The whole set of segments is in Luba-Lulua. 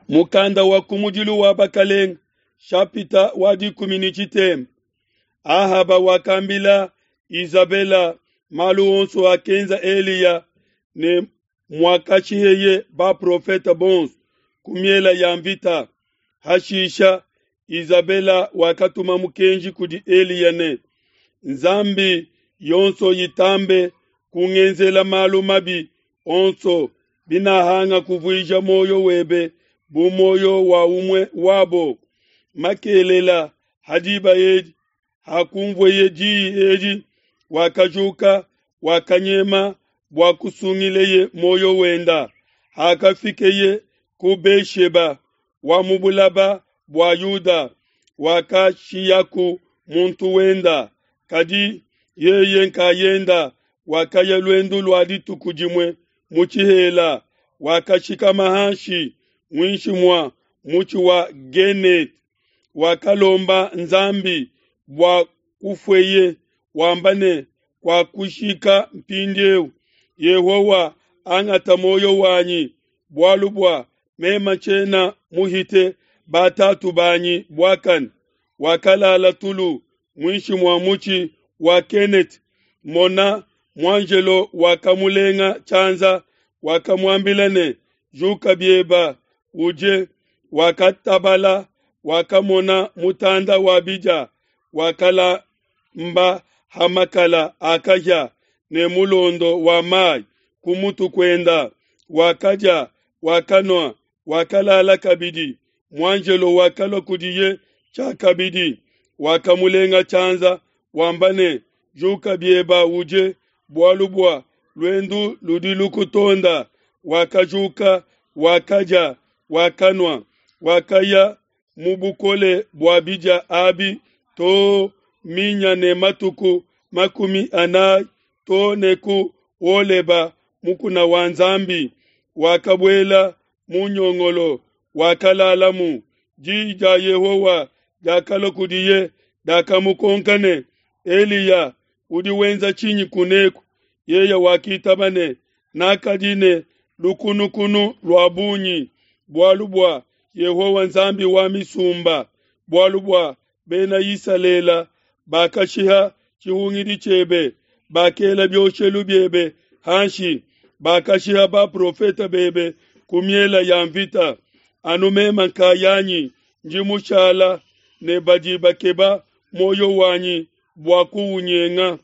Mukanda wa kumudilu wa Bakalenga, shapita wa 13. Ahaba wakambila Izabela malu onso akenza Eliya ne muakashiheye baprofete bonso ku miela ya mvita. Hashisha Izabela wakatuma mukenji kudi Eliya ne, Nzambi yonso itambe kungenzela malu mabi onso binahanga kuvuija muoyo webe bu muoyo wa umue wabo. Makelela ha diba edi, hakunvueye diyi edi, wakajuka, wakanyema bua kusungileye muoyo wenda. Hakafikeye ku Be-sheba wa mu bulaba bua Yuda, wakashiyaku muntu wenda, kadi yeye nkayenda wakaya luendu lua dituku dimue mu tshihela, wakashikama hanshi muinshi mua mutshi wa Genete, wakalomba Nzambi bua kufueye, wamba ne, Kuakushika mpindieu, Yehowa angata muoyo wanyi, bualu bua meme tshiena muhite batatu banyi buakane. Wakalala tulu muinshi mua mutshi wa Kenete. Mona, muanjelo wakamulenga tshianza, wakamuambila ne, Juka bieba, udie. Wakatabala, wakamona mutanda wa bidia, wakalamba ha makala a kahia ne mulondo wa mai ku mutu kuenda. Wakadia, wakanua, wakalala kabidi. Muanjelo wakalua kudiye tshiakabidi, wakamulenga tshianza, wamba ne, Juka bieba udie, bualu bua luendu ludi lukutonda. Wakajuka, wakadia, wakanua, wakaya mu bukole bua bidia abi to minya ne matuku 40 to ne ku Holeba mukuna wa Nzambi. Wakabuela mu nyongolo, wakalalamu. Diyi dia Yehowa diakalua kudiye, diakamukonka ne, Eliya, udi wenza tshinyi kuneku? Yeye wakitaba ne, Nakadi ne lukunukunu lua bungi bualu bua Yehowa Nzambi wa misumba, bualu bua Bena Isalele bakashiha tshihungidi tshiebe, bakela bioshelu biebe hanshi, bakashiha baprofete bebe ku miela ya mvita. Anu meme nkayanyi ndi mushala, ne badi bakeba muoyo wanyi bua kuunyenga.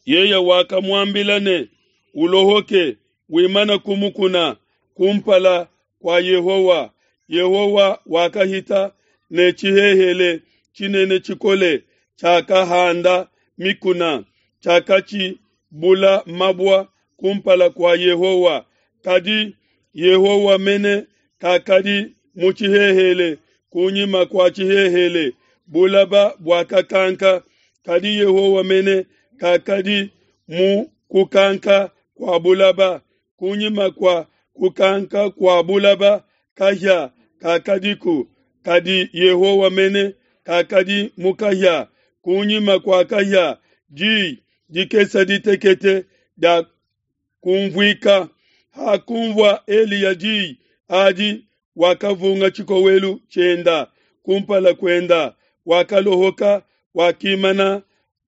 Yeye wakamuambila ne, Ulohoke, wimane ku mukuna kumpala kua Yehowa. Yehowa wakahita ne tshihehele tshinene tshikole tshiakahanda mikuna, tshiakatshibula mabua kumpala kua Yehowa. Kadi Yehowa mene kakadi mu tshihehele. Kunyima kua tshihehele bulaba buakakanka, kadi Yehowa mene kakadi mu kukanka kua bulaba. Kunyima kua kukanka kua bulaba kahia kakadiku, kadi Yehowa mene kakadi mu kahia. Kunyima kua kahia diyi dikese ditekete dia kumvuika. Hakunvua Eliya diyi adi, wakavunga tshikowelu tshienda kumpala kuenda, wakalohoka, wakimana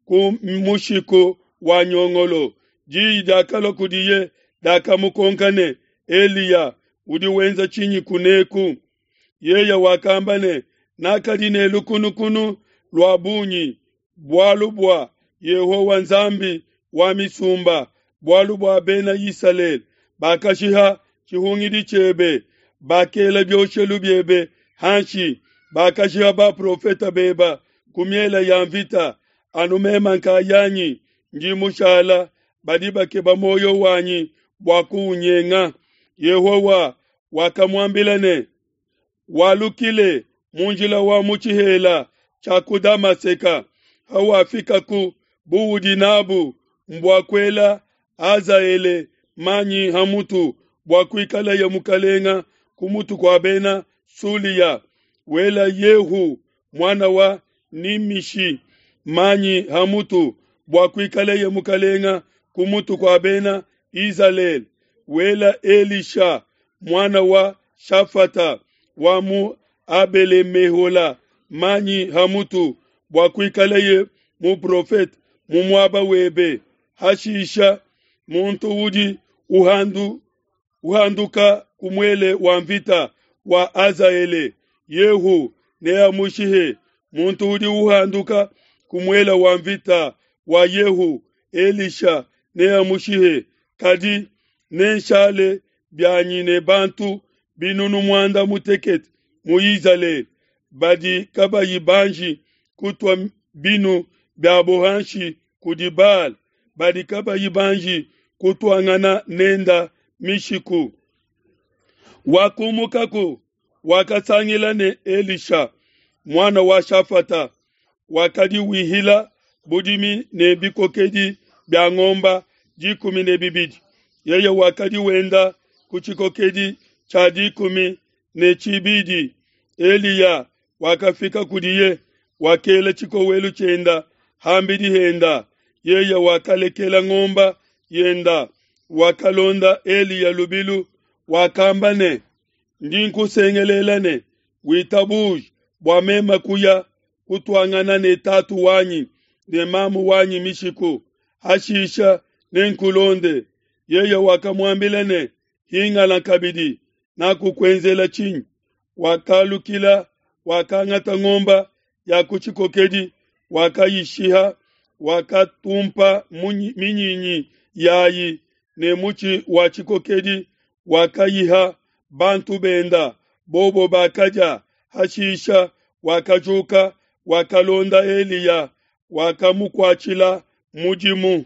ku mushiku wa nyongolo. Diyi diakalua kudiye, diakamukonka ne, Eliya, udi wenza tshinyi kuneku? Yeye wakamba ne, Nakadi ne lukunukunu lua bungi bualu bua Yehowa Nzambi wa misumba, bualu bua Bena Isalele bakashiha tshihungidi tshiebe, bakela bioshelu biebe hanshi, bakashiha baprofete bebe ku miele ya mvita. Anu meme nkayanyi ndi mushala, badi bakeba muoyo wanyi bua kuunyenga. Yehowa wakamuambila ne, Walukile mu njila wa mu tshihela tshia ku Damaseka, hawafikaku buudi nabu mbua kuela Hazaele manyi ha mutu bua kuikaleye mukalenga ku mutu kua Bena Sulia, wela Yehu muana wa Nimishi manyi ha mutu bua kuikaleye mukalenga ku mutu kua Bena Izalele, wela Elisha muana wa Shafata wa mu Abele-mehola manyi ha mutu bua kuikaleye muprofete mu muaba webe. Hashisha muntu udi uhanduka ku muele wa nvita wa Hazaele, Yehu neamushihe. Muntu udi uhanduka ku muele wa nvita wa Yehu, Elisha neamushihe. Kadi nenshale bianyi ne bantu 40,000 mu Izalele badi kabayi banji kutua binu biabo hanshi kudi Baal, badi kabayi banji kutuangana nenda mishiku. Wakumukaku, wakasangila ne Elisha muana wa Shafata, wakadi wihila budimi ne bikokedi bia ngomba 12. Yeye wakadi wenda ku tshikokedi tshia 12. Eliya wakafika kudiye, wakela tshikowelu tshienda hambidi henda. Yeye wakalekela ngomba yenda, wakalonda Eliya lubilu, wakamba ne, ndi nkusengelela ne witabuje bua meme kuya kutuangana ne tatu wanyi ne mamu wanyi mishiku, hashisha nenkulonde. Yeye wakamuambila ne, hingana kabidi, nakukuenzela tshinyi? Wakalukila, wakangata ngomba ya ku tshikokedi, wakayishiha, wakatumpa minyinyi yayi ne mutshi wa tshikokedi, wakayiha bantu benda, bobo bakadia. Hashisha wakajuka, wakalonda Eliya, wakamukuatshila mudimu.